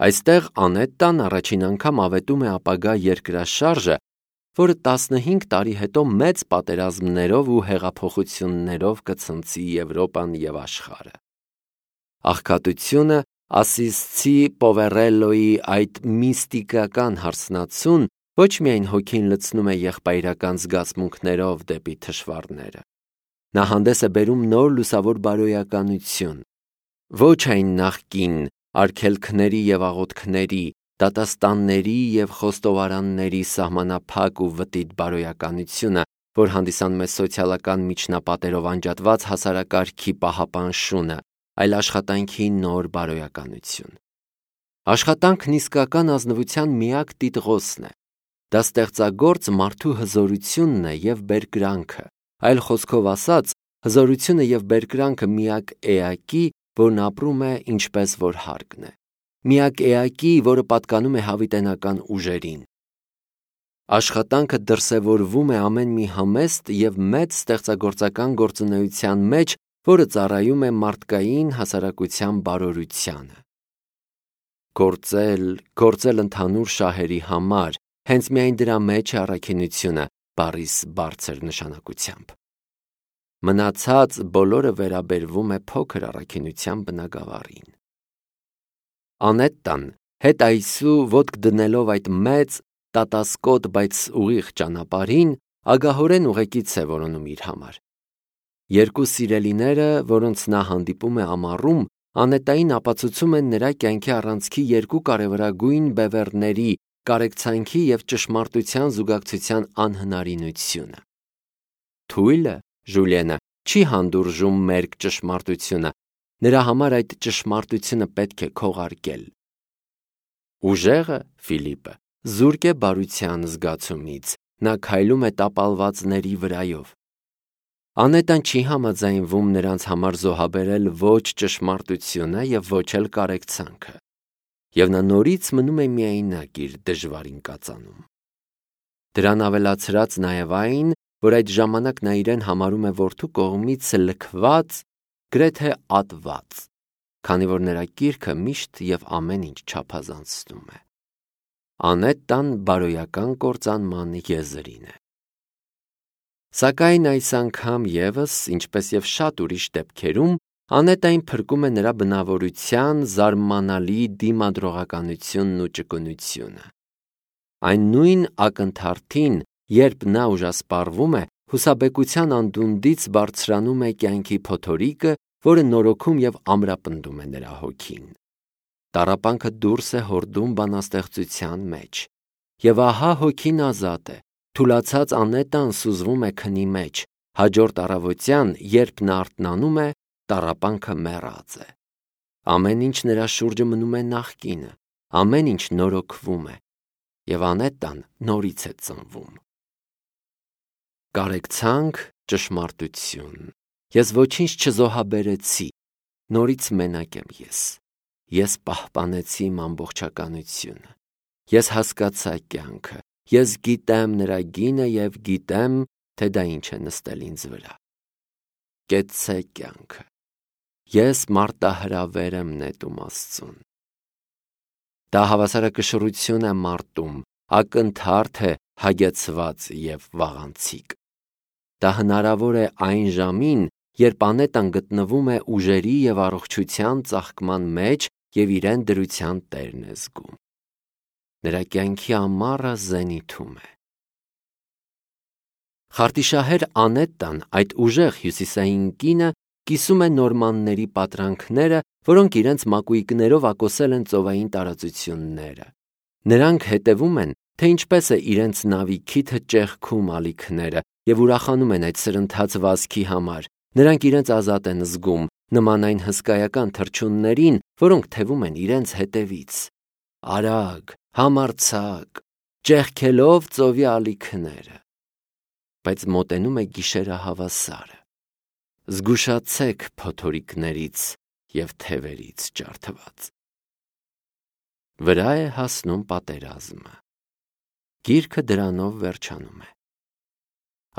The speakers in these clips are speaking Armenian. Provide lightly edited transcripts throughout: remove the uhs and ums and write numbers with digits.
Այստեղ Անետտան առաջին անգամ ավետում է ապագա երկրաշարժը, որը 15 տարի հետո մեծ պատերազմներով ու հեղափոխություններով կցնցի Եվրոպան և աշխարհը։ Աղքատությունը ասիսցի Պովերելլոյի այդ միստիկական հարսնացուն ոչ միայն հոգին լցնում է եղբայրական զգացմունքներով դեպի թշվառները։ Նա հանդես է բերում նոր լուսավոր բարոյականություն, ոչ այն նախկին արգելքների և աղոթքների, դատաստանների և խոստովարանների սահմանափակ ու վտիտ բարոյականությունը, որ հանդիսանում է սոցիալական միջնապատերով անջատված հասարակարգի պահապան շունը, այլ աշխատանքի նոր բարոյականություն։ Աշխատանքն իսկական ազնվության միակ տիտղոսն է։ Դա ստեղծագործ մարդու հզորությունն է և բերկրանքը, այլ խոսքով ասած, հզորությունը և բերկրանքը միակ էակի, որն ապրում է ինչպես որ հարկն է, միակ էակի, որը պատկանում է հավիտենական ուժերին։ Աշխատանքը դրսևորվում է ամեն մի համեստ և մեծ ստեղծագործական գործունեության մեջ, որը ծառայում է մարդկային հասարակության բարօրությանը։ Գործել ընդհանուր շահերի համար, հենց միայն դրա մեջ է առաքինությունը բառիս բարձր նշանակությամբ։ Մնացած բոլորը վերաբերվում է փոքր առաքինության բնագավառին։ Անետտան հետ այսու ոտք դնելով այդ մեծ, տատասկոտ, բայց ուղիղ ճանապարհին, ագահորեն ուղեկից է որոնում իր համար։ Երկու սիրելիները, որոնց նա հանդիպում է ամառում, Անետտային ապացուցում են նրա կյանքի առանցքի երկու կարևորագույն բևեռների՝ կարեկցանքի և ճշմարտության զուգակցության անհնարինությունը։ Թույլը՝ Ժուլիենը, չի հանդուրժում մերկ ճշմարտությունը, նրա համար այդ ճշմարտությունը պետք է քողարկել։ Ուժեղը՝ Ֆիլիպը, զուրկ է բարության զգացումից, նա քայլում է տապալվածների վրայով։ Անետտան չի համաձայնվում նրանց համար զոհաբերել ոչ ճշմարտությունը և ոչ էլ կարեկցանքը, և նա նորից մնում է միայնակ իր դժվարին կածանում։ Դրան ավելացրած նաև այն, որ այդ ժամանակ նա իրեն համարում է որդու կողմից լքված, գրեթե ատված, քանի որ նրա կիրքը միշտ և ամեն ինչ չափազանցնում է։ Անետտան բարոյական կործանման եզրին է։ Սակայն այս անգամ ևս, ինչպես և շատ ուրիշ դեպքերում, Անետտային փրկում է նրա բնավորության զարմանալի դիմադրողականությունն ու ճկունությունը։ Այն նույն ակնթարթին, երբ նա ուժասպառվում է, հուսաբեկության անդունդից բարձրանում է կյանքի փոթորիկը, որը նորոգում և ամրապնդում է նրա հոգին։ Տառապանքը դուրս է հորդում բանաստեղծության մեջ։ Եվ ահա հոգին ազատ է, թուլացած Անետտան սուզվում է քնի մեջ, հաջորդ առավոտյան, երբ նա արթնանում է, տառապանքը մեռած է։ Ամեն ինչ նրա շուրջը մնում է նախկինը, ամեն ինչ նորոգվում է, և Անետտան նորից է ծնվում։ Կարեկցանք, ճշմարտություն։ Ես ոչինչ չզոհաբերեցի, նորից մենակ եմ ես։ Ես պահպանեցի իմ ամբողջականությունը։ Ես հասկացա կյանքը, ես գիտեմ նրա գինը և գիտեմ, թե դա ինչ է նստել ինձ վրա։ Կեցցե կյանքը։ Ես մարտահրավեր եմ նետում Աստծուն։ Դա հավասարակշռություն է մարտում, ակնթարթ է հագեցված և վաղանցիկ։ Դա հնարավոր է այն ժամին, երբ Անետտան գտնվում է ուժերի և առողջության ծաղկման մեջ և իրեն դրության տերն է զգում։ Նրա կյանքի ամառը զենիթում է։ Խարտիշահեր Անետտան, այդ ուժեղ հյուսիսային կինը, կիսում է նորմանների պատրանքները, որոնք իրենց մակույկներով ակոսել են ծովային տարածությունները։ Նրանք հետևում են, թե ինչպես է իրենց նավի քիթը ճեղքում ալիքները և ուրախանում են այդ սրընթաց վազքի համար։ Նրանք իրենց ազատ են զգում, նման այն հսկայական թռչուններին, որոնք թևում են իրենց հետևից։ Արագ, համարձակ, ճեղքելով ծովի ալիքները։ Բայց մոտենում է գիշերահավասարը։ Զգուշացեք փոթորիկներից և թևերից ջարդված։ Վրա է հասնում պատերազմը։ Գիրքը դրանով վերջանում է։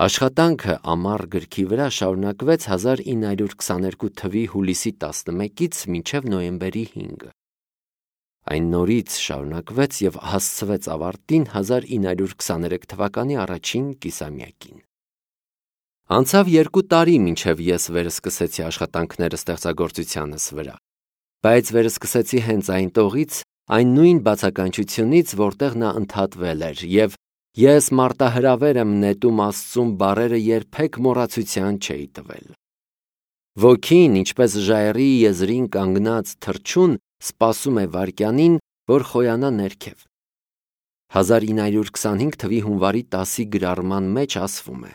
Աշխատանքը ամառ գրքի վրա շարունակվեց 1922 թվականի հուլիսի 11-ից մինչև նոյեմբերի 5-ը։ Այն նորից շարունակվեց և հասցվեց ավարտին 1923 թվականի առաջին կիսամյակին։ Անցավ 2 տարի, մինչև ես վերսկսեցի աշխատանքները ստեղծագործությանս վրա, բայց վերսկսեցի հենց այն տողից, այն նույն բացականչությունից, որտեղ նա ընդհատվել էր, և ես մարտահրավեր եմ նետում Աստծուն բառերը երբեք մոռացության չէի տվել։ Ոգին, ինչպես ժայռի եզրին կանգնած թռչուն, սպասում է վայրկյանին, որ խոյանա ներքև։ 1925 թվականի հունվարի 10-ի գրառման մեջ ասվում է.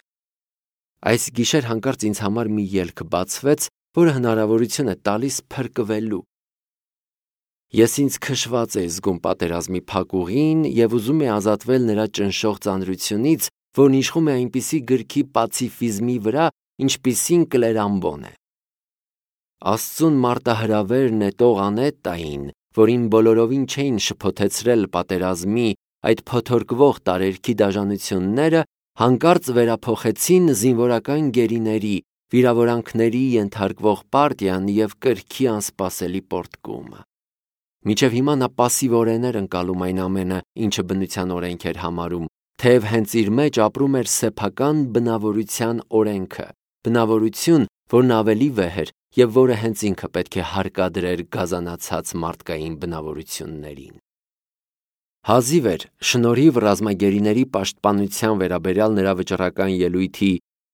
այս գիշեր հանկարծ ինձ համար մի ելք բացվեց, որը հնարավորություն է տալիս փրկվելու։ Ես ինձ քշված էի զգում պատերազմի փակուղին և ուզում էի ազատվել նրա ճնշող ծանրությունից, որն իշխում է այնպիսի գրքի պացիֆիզմի վրա, ինչպիսին Կլերամբոն է։ Աստծուն մարտահրավեր նետող Անետտային, որին բոլորովին չէին շփոթեցրել պատերազմի այդ փոթորկվող տարերքի դաժանությունները, հանկարծ վերափոխեցին զինվորական գերիների, վիրավորանքների ենթարկվող պարտիան և կրքի անսպասելի պոռթկումը։ Մինչև հիմա նա պասիվորեն էր ընկալում այն ամենը, ինչը բնության օրենք էր համարում, թեև հենց իր մեջ ապրում էր սեփական բնավորության օրենքը, բնավորություն, որն ավելի վեհ էր և որը հենց ինքը պետք է հարկադրեր գազանացած մարդկային բնավորություններին։ Հազիվ էր շնորհիվ ռազմագերիների պաշտպանության վերաբերյալ նրա վճռական ելույթի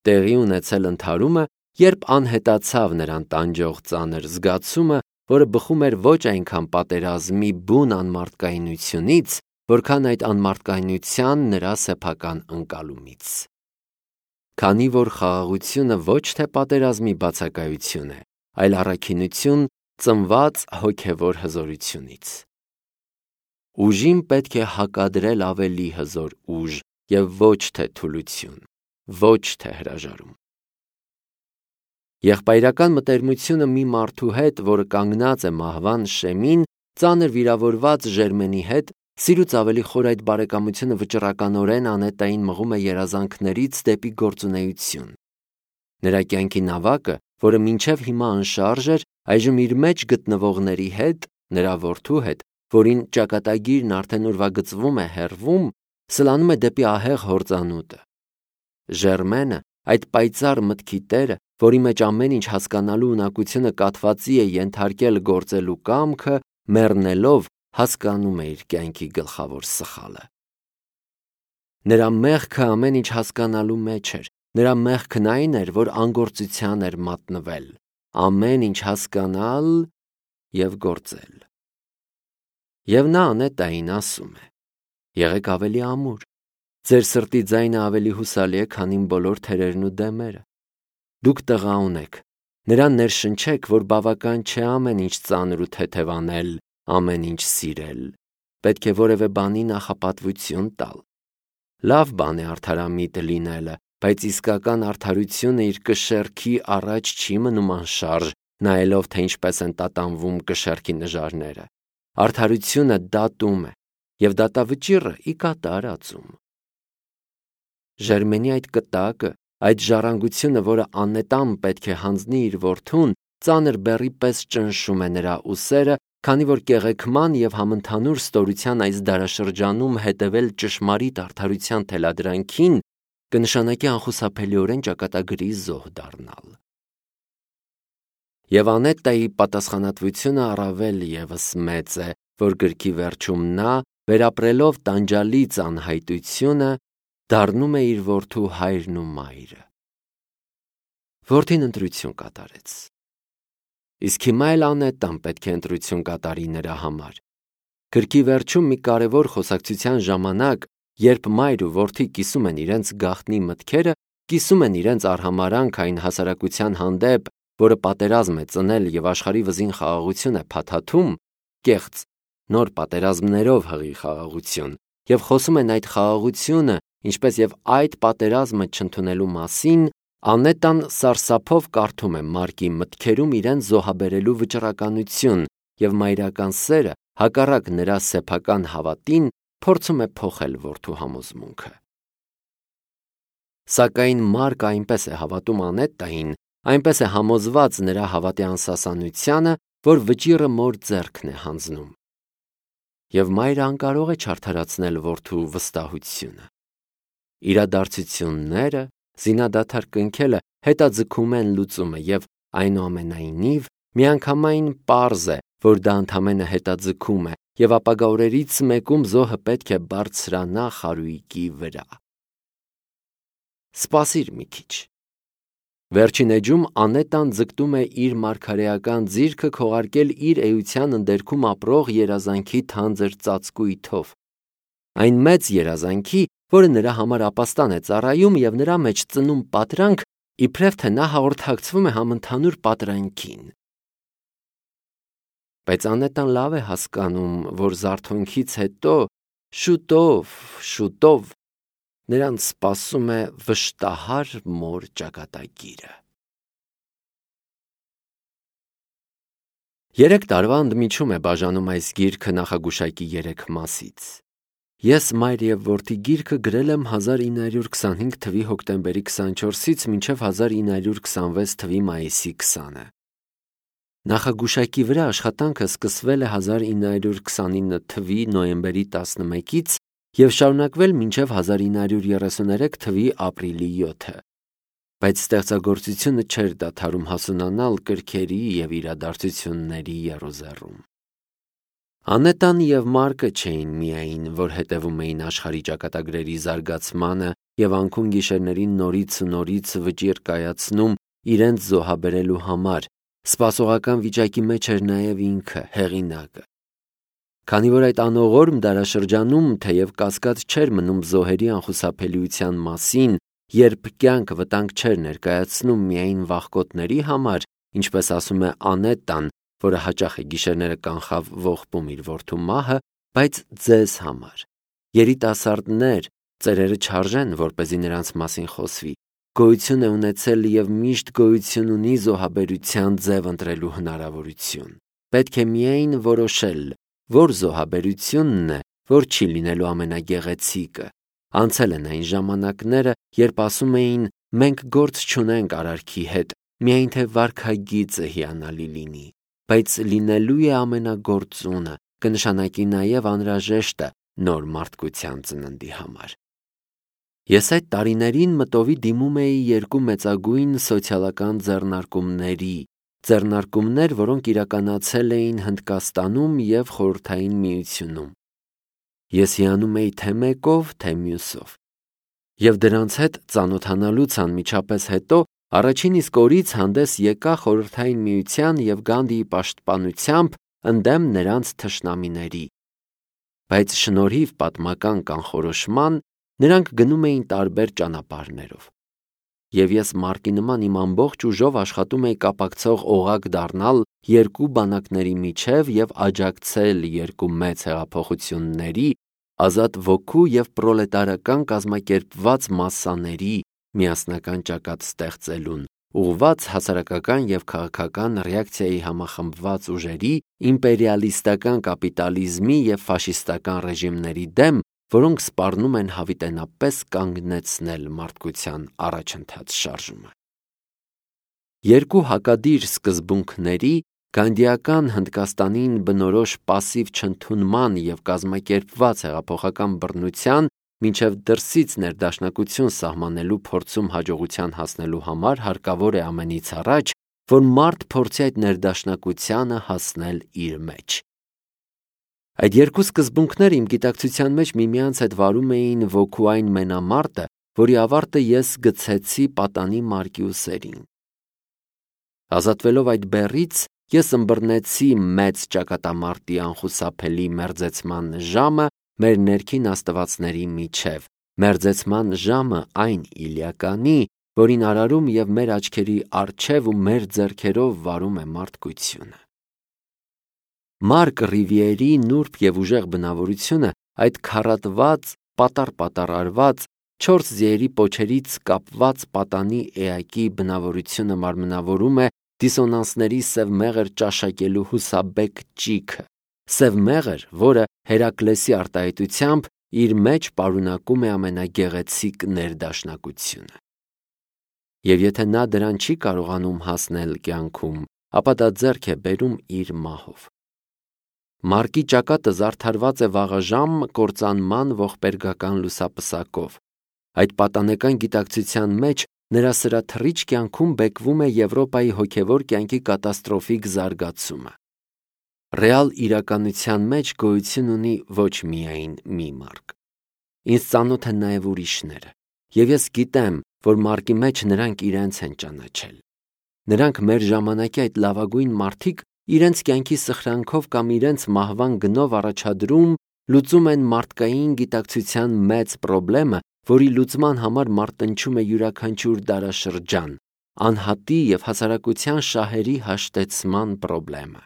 տեղի ունեցել ընդհարումը, երբ անհետացավ նրան տանջող ծանր զգացումը, որը բխում էր ոչ այնքան պատերազմի բուն անմարդկայնությունից, որքան այդ անմարդկայնության նրա սեփական ընկալումից։ Քանի որ խաղաղությունը ոչ թե պատերազմի բացակայություն է, այլ առաքինություն ծնված հոգևոր հզորությունից։ Ուժին պետք է հակադրել ավելի հզոր ուժ և ոչ թե թուլություն, ոչ թե հրաժարում։ Եղբայրական մտերմությունը մի մարդու հետ, որը կանգնած է մահվան շեմին, ծանր վիրավորված Ժերմենի հետ, սիրուց ավելի խոր այդ բարեկամությունը վճռականորեն Անետտային մղում է երազանքներից դեպի գործունեություն։ Նրա կյանքի նավակը, որը մինչև հիմա անշարժ էր, այժմ իր մեջ գտնվողների հետ, նրա որդու հետ, որին ճակատագիրն արդեն ուրվագծվում է հեռվում, սլանում է դեպի ահեղ հորձանուտը։ Ժերմենը, այդ պայծառ մտքի տերը, որի մեջ ամեն ինչ հասկանալու ունակությունը կաթվածի է ենթարկել գործելու կամքը, մեռնելով, հասկանում է իր կյանքի գլխավոր սխալը։ Նրա մեղքը ամեն ինչ հասկանալու մեջ էր, նրա մեղքն այն էր, որ անգործության էր մատնվել, ամեն ինչ հասկանալ և գործել։ Եվ նա Անետտային ասում է. եղեք ավելի ամուր, ձեր սրտի ձայնը ավելի հուսալի է, քան իմ բոլոր թերերն ու դեմերը։ Դուք տղա ունեք, նրան ներշնչեք, որ բավական չէ ամեն ինչ ծանր ու թեթև անել, ամեն ինչ սիրել, պետք է որևէ բանի նախապատվություն տալ։ Լավ բան է արդարամիտ լինելը, բայց իսկական արդարությունը իր կշեռքի առաջ չի մնում անշարժ, նայելով, թե ինչպես են տատանվում կշեռքի նժարները։ Արդարությունը դատում է, և դատավճիռը ի կատար ածում։ Ժերմենի այդ կտակը, այդ ժառանգությունը, որը Անետտան պետք է հանձնի իր որդուն, ծանր բեռի պես ճնշում է նրա ուսերը, քանի որ կեղեքման և համընդհանուր ստորության այս դարաշրջանում հետևել ճշմարիտ արդարության թելադրանքին կնշանակի անխուսափելիորեն ճակատագրի զոհ դառնալ։ Եվ Անետտայի պատասխանատվությունը առավել ևս մեծ է, որ գրքի վերջում նա, վերապրելով տանջալից անհայտությունը, դառնում է իր որդու հայրն ու մայրը։ Որդին ընտրություն կատարեց։ Իսկ հիմա էլ Անետտան պետք է ընտրություն կատարի նրա համար։ Գրքի վերջում մի կարևոր խոսակցության ժամանակ, երբ մայր ու որդի կիսում են իրենց գաղտնի մտքերը, կիսում են իրենց արհամարհանք այն հասարակության հանդեպ, որը պատերազմ է ծնել և աշխարհի վզին խաղաղություն է փաթաթում, կեղծ, նոր պատերազմներով հղի խաղաղություն, և խոսում են այդ խաղաղությունը, ինչպես և այդ պատերազմը չընդունելու մասին, Անետտան սարսափով կարդում է Մարկի մտքերում իրեն զոհաբերելու վճռականություն և մայրական սերը, հակառակ նրա սեփական հավատին, փորձում է փոխել որդու համոզմունքը։ Սակայն Մարկը այնպես է հավատում Անետտային, այնպես է համոզված նրա հավատի անսասանությանը, որ վճիռը մոր ձեռքն է հանձնում։ եւ մայրը անկարող է չարդարացնել որդու վստահությունը։ Իրադարձությունները, զինադադար կնքելը հետաձգում են լուծումը եւ այնուամենայնիվ միանգամայն պարզ է, որ դա ընդամենը հետաձգում է եւ ապագա օրերից մեկում զոհը պետք է բարձրանա խարույկի վրա։ Սպասիր մի քիչ։ Վերջին էջում Անետան ձգտում է իր մարգարեական ձիրքը քողարկել իր էության ընդերքում ապրող երազանքի թանձր ծածկույթով։ Այն մեծ երազանքի, որը նրա համար ապաստան է ծառայում եւ նրա մեջ ծնում պատրանք, իբրև թե նա հաղորդակցվում է համընդհանուր պատրանքին։ Բայց Անետան լավ է հասկանում, որ զարթոնքից հետո շուտով նրան սպասում է վշտահար մոր ճակատագիրը։ 3 տարվա ընդմիջում է բաժանում այս գիրքը նախագուշակի 3 մասից։ Ես մայր եւ որդի գիրքը գրել եմ 1925 թվականի հոկտեմբերի 24-ից մինչև 1926 թվականի մայիսի 20-ը։ Նախագուշակի վրա աշխատանքը սկսվել է 1929 թվականի նոյեմբերի 11-ից եւ շարունակվել մինչև 1933 թվականի ապրիլի 7-ը, բայց ստեղծագործությունը չէր դադարում հասունանալ կրքերի եւ իրադարձությունների եռոզեռում։ Անետան եւ Մարկը չէին միայն, որ հետևում էին աշխարհի ճակատագրերի զարգացմանը եւ անքուն գիշերներին նորից ու նորից վճիռ կայացնում իրենց զոհաբերելու համար, սպասողական վիճակի մեջ էր նաեւ ինքը, հեղինակը։ Քանի որ այդ անողորմ դարաշրջանում թեև կասկած չէր մնում զոհերի անխուսափելիության մասին, երբ կյանք վտանգ չէր ներկայացնում միայն վախկոտների համար, ինչպես ասում է Անետան, որը հաճախ է գիշերները կանխավ ողբում իր որդու մահը, բայց ձեզ համար։ Երիտասարդներ, ծերերը չարժեն, որպեսզի նրանց մասին խոսվի, գոյություն է ունեցել եւ միշտ գոյություն ունի զոհաբերության ձև ընտրելու հնարավորություն։ Պետք է միայն որոշել, որ զոհաբերությունն է, որ չի լինելու ամենագեղեցիկը։ Անցել են այն ժամանակները, երբ ասում էին մենք գործ չունենք արարքի հետ, միայն թե վարքագիծը հիանալի լինի, բայց լինելու է ամենագործունը, կնշանակի նաև անհրաժեշտը նոր մարդկության ծննդի համար։ Ես այդ տարիներին մտովի դիմում էի 2 մեծագույն սոցիալական ձեռնարկումներ, որոնք իրականացել էին Հնդկաստանում եւ Խորհրդային Միությունում։ Ես հիանում էի թե մեկով, թե մյուսով։ Եվ դրանց հետ ծանոթանալուց անմիջապես հետո առաջին իսկ օրից հանդես եկա Խորհրդային Միության եւ Գանդիի պաշտպանությամբ ընդդեմ նրանց թշնամիների։ Բայց շնորհիվ պատմական կանխորոշման նրանք գնում էին տարբեր ճանապարհներով։ Եվ ես Մարկի նման իմ ամբողջ ուժով աշխատում էի կապակցող օղակ դառնալ 2 բանակների միջև եւ աջակցել 2 մեծ հեղափոխությունների, ազատ ոգու եւ պրոլետարական կազմակերպված մասսաների միասնական ճակատ ստեղծելուն, ուղղված հասարակական եւ քաղաքական ռեակցիայի համախմբված ուժերի, իմպերիալիստական կապիտալիզմի եւ ֆաշիստական ռեժիմների դեմ, որոնք սպառնում են հավիտենապես կանգնեցնել մարդկության առաջընթաց շարժումը։ 2 հակադիր սկզբունքների՝ գանդիական Հնդկաստանին բնորոշ պասիվ չընդունման եւ կազմակերպված հեղափոխական բռնության մինչև դրսից ներդաշնակություն սահմանելու փորձում հաջողության հասնելու համար հարկավոր է ամենից առաջ, որ մարդ փորձի այդ ներդաշնակությանը հասնել իր մեջ։ Այդ 2 սկզբունքները իմ գիտակցության մեջ միմյանց հետ վարում էին ոգու այն մենամարտը, որի ավարտը ես գցեցի պատանի Մարկի ուսերին։ Ազատվելով այդ բեռից, ես ըմբռնեցի մեծ ճակատամարտի անխուսափելի մերձեցման ժամը մեր ներքին աստվածների միջև, մերձեցման ժամը այն Իլիականի, որին արարում եւ մեր աչքերի առջև ու մեր ձեռքերով վարում է մարդկությունը։ Մարկ Ռիվիերի նուրբ եւ ուժեղ բնավորությունը այդ քառատված, պատառ արված 4 ձիերի պոչերից կապված պատանի էակի բնավորությունը մարմնավորում է դիսոնանսների սև մեղր ճաշակելու հուսաբեկ ճիգը, սև մեղր, որը Հերակլեսի արտահայտությամբ իր մեջ պարունակում է ամենագեղեցիկ ներդաշնակությունը։ Եվ եթե նա դրան չի կարողանում հասնել կյանքում, ապա դա ձեռք է բերում իր մահով։ Մարկի ճակատը զարդարված է վաղաժամ կործանման ողբերգական լուսապսակով։ Այդ պատանեկան գիտակցության մեջ նրա սրաթռիչ կյանքում բեկվում է Եվրոպայի հոգևոր կյանքի կատաստրոֆիկ զարգացումը։ Ռեալ իրականության մեջ գոյություն ունի ոչ միայն մի մարկ։ Ինձ ծանոթ են նաև ուրիշները, եւ ես գիտեմ, որ մարկի մեջ նրանք իրենց են ճանաչել։ Նրանք մեր ժամանակի այդ լավագույն մարդիկ իրենց կյանքի սխրանքով կամ իրենց մահվան գնով առաջադրում լուծում են մարդկային գիտակցության մեծ պրոբլեմը, որի լուծման համար մարտնչում է յուրաքանչյուր դարաշրջան, անհատի եւ հասարակության շահերի հաշտեցման պրոբլեմը։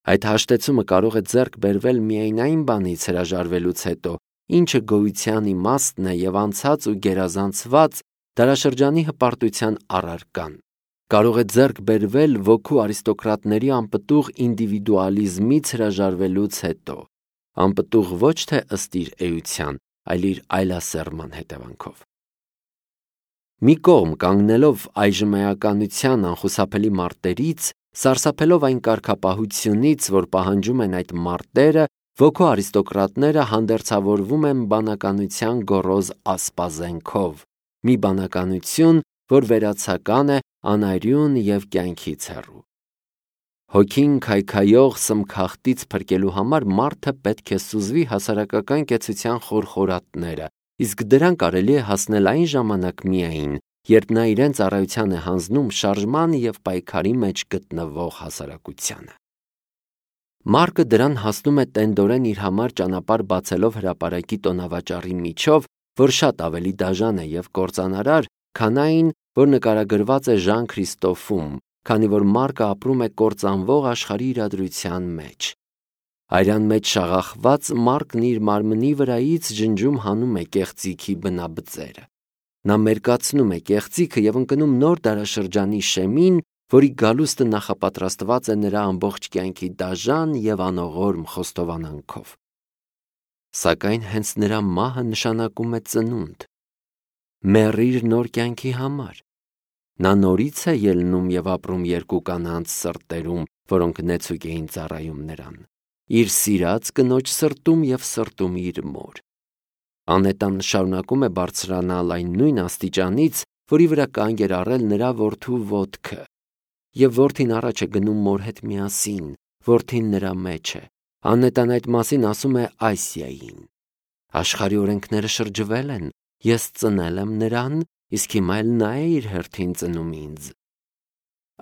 Այդ հաշտեցումը կարող է ձեռք բերվել միայն այն բանից հրաժարվելուց հետո, ինչը գոյության իմաստն է եւ անցած ու գերազանցված դարաշրջանի հպարտության առարկան։ Կարող է ձեռք բերվել ոգու արիստոկրատների անպտուղ ինդիվիդուալիզմից հրաժարվելուց հետո, անպտուղ ոչ թե ըստ իր էության, այլ իր այլասերման հետևանքով։ Մի կողմ կանգնելով այժմեականության անխուսափելի մարտերից, սարսափելով այն կարգապահությունից, որ պահանջում են այդ մարտերը, ոգու արիստոկրատները հանդերձավորվում են բանականության գոռոզ ասպազենքով, մի բանականություն, որ վերացական է, անարյուն եւ կյանքից հեռու։ Հոգին քայքայող սմքախտից փրկելու համար մարդը պետք է սուզվի հասարակական կեցության խորխորատները, իսկ դրան կարելի է հասնել այն ժամանակ միայն, երբ նա իրեն ծառայության է հանձնում շարժման եւ պայքարի մեջ գտնվող հասարակությանը։ Մարկը դրան հասնում է տենդորեն իր համար ճանապարհ բացելով հրապարակի տոնավաճառի միջով, որ շատ ավելի դաժան է եւ կործանարար, քան այն, որ նկարագրված է Ժան Քրիստոֆում, քանի որ Մարկը ապրում է կործանվող աշխարհի իրադրության մեջ։ Արյան մեջ շաղախված Մարկն իր մարմնի վրայից ջնջում հանում է կեղծիքի բնաբծերը։ Նա մերկացնում է կեղծիքը եւ ընկնում նոր դարաշրջանի շեմին, որի գալուստը նախապատրաստված է նրա ամբողջ կյանքի դաժան եւ անողորմ խոստովանանքով։ Սակայն հենց նրա մահը նշանակում է ծնունդ։ Մեռիր նոր կյանքի համար։ Նա նորից է ելնում եւ ապրում երկու կանանց սրտերում, որոնք նեցուկ էին ծառայում նրան, իր սիրած կնոջ սրտում եւ սրտում իր մոր։ Անետան շարունակում է բարձրանալ այն նույն աստիճանից, որի վրա կանգ էր առել նրա որդու ոտքը, եւ որդին առաջ է գնում մոր հետ միասին, որդին նրա մեջ է։ Անետան այդ մասին ասում է Այսիային. աշխարհի օրենքները շրջվել են, ես ծնել եմ նրան, իսկ հիմա էլ նա է իր հերթին ծնում ինձ։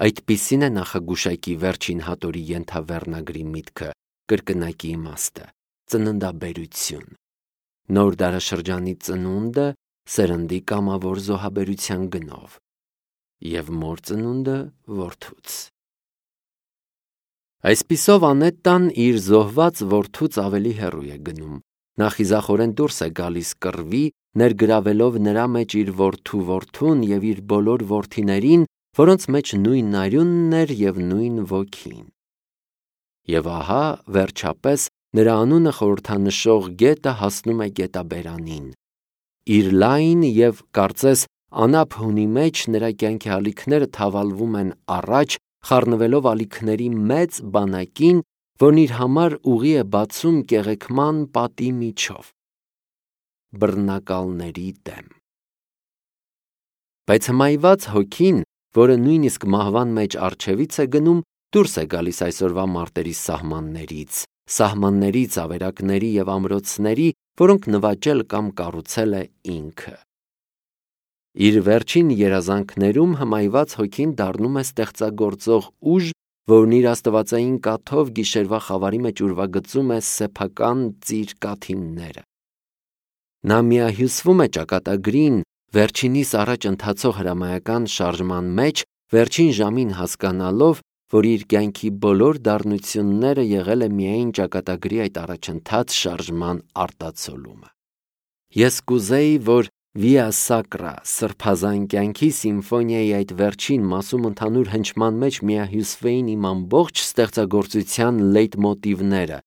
Այդպիսին է նախագուշակի վերջին հատորի ենթավեռնագրի միտքը, կրկնակի իմաստը, ծննդաբերություն։ Նոր դարաշրջանի ծնունդը սերնդի կամավոր զոհաբերության գնով եւ մոր ծնունդը որդուց։ Այսպիսով Անետտան իր զոհված որդուց ավելի հեռու է գնում։ Նա խիզախորեն դուրս է գալիս կռվի, ներգրավելով նրա մեջ իր որդուն եւ իր բոլոր որդիներին, որոնց մեջ նույն արյունն էր եւ նույն ոգին։ Եվ ահա, վերջապես, նրա անունը խորհրդանշող գետը հասնում է գետաբերանին։ Իր լայն եւ կարծես անապ հունի մեջ նրա կյանքի ալիքները թավալվում են առաջ, խառնվելով ալիքների մեծ բանակին, որն իր համար ուղի է բացում կեղեքման պատի միջով։ Բռնակալների դեմ։ Բայց հմայված հոգին, որը նույնիսկ մահվան մեջ առջևից է գնում, դուրս է գալիս այսօրվա մարտերի սահմաններից, ավերակների եւ ամրոցների, որոնք նվաճել կամ կառուցել է ինքը։ Իր վերջին երազանքներում հմայված հոգին դառնում է ստեղծագործող ուժ, որն իր աստվածային կաթով գիշերվա խավարի մեջ ուրվագծում է սեփական ծիր կաթիլները։ Նա միահյուսվում է ճակատագրին, վերջինիս առաջ ընթացող հրամայական շարժման մեջ, վերջին ժամին հասկանալով, որ իր կյանքի բոլոր դառնությունները եղել է միայն ճակատագրի այդ առաջընթաց շարժման արտացոլումը։ Ես կուզեի, որ Վիա Սակրա սրբազան կյանքի սիմֆոնիայի այդ վերջին մասում ընդհանուր հնչման մեջ միահյուսվեին իմ ամբողջ ստեղծագործության լեյտմոտիվները՝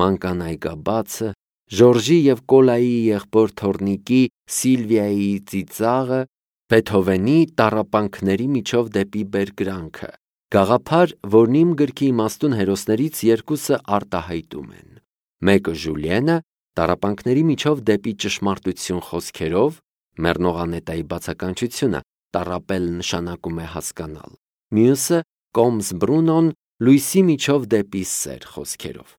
Մանկան այգաբացը, Ժորժի եւ Կոլայի եղբոր Թորնիկի Սիլվիայի ծիծաղը, Բեթհովենի տառապանքների միջով դեպի բերկրանքը, Գաղափար, որն իմ գրքի իմաստուն հերոսներից երկուսը արտահայտում են։ Մեկը Ժուլիենը տառապանքների միջով դեպի ճշմարտություն խոսքերով, Մեռնողանետայի բացականչությունը տառապել նշանակում է հասկանալ։ Մյուսը Կոմս Բրունոն լույսի միջով դեպի սեր խոսքերով։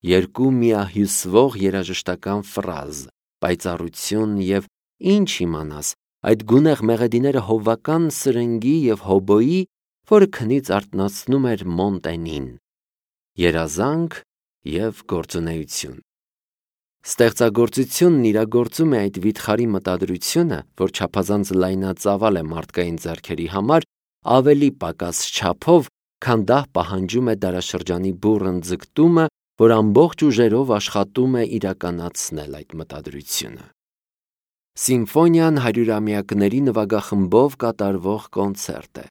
Երկու միահյուսվող երաժշտական ֆրազ, պայծառություն եւ ինչ իմանաս, այդ գունեղ մեղեդիները հովվական սրնգի եւ հոբոյի, որը քնից արթնացնում էր Մոնտենին, երազանք եւ գործունեություն։ Ստեղծագործությունն իրագործում է այդ վիթխարի մտադրությունը, որ չափազանց լայնածավալ է մարդկային ձեռքերի համար, ավելի պակաս չափով, քան դա պահանջում է դարաշրջանի բուռն ձգտումը, որ ամբողջ ուժերով աշխատում է իրականացնել այդ մտադրությունը։ Սիմֆոնիան 100-ամյակների նվագախմբով կատարվող կոնցերտ է։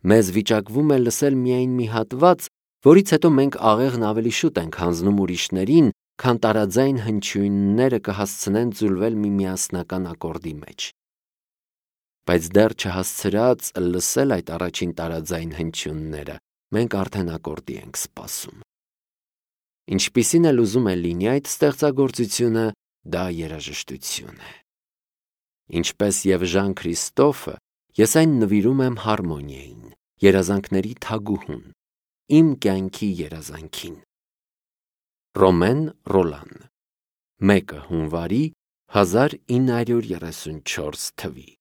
Մեզ վիճակվում է լսել միայն մի հատված, որից հետո մենք աղեղն ավելի շուտ ենք հանձնում ուրիշներին, քան տարաձայն հնչյունները կհասցնեն ձուլվել մի միասնական ակորդի մեջ։ Բայց դեռ չհասցրած լսել այդ առաջին տարաձայն հնչյունները, մենք արդեն ակորդի ենք սպասում։ Ինչպիսին էլ ուզում է լինի այդ ստեղծագործությունը, դա երաժշտություն է։ Ինչպես եւ Ժան Քրիստոֆը, ես այն նվիրում եմ հարմոնիային, երազանքների թագուհուն, իմ կյանքի երազանքին։ Ռոմեն Ռոլան 1 հունվարի 1934 թվի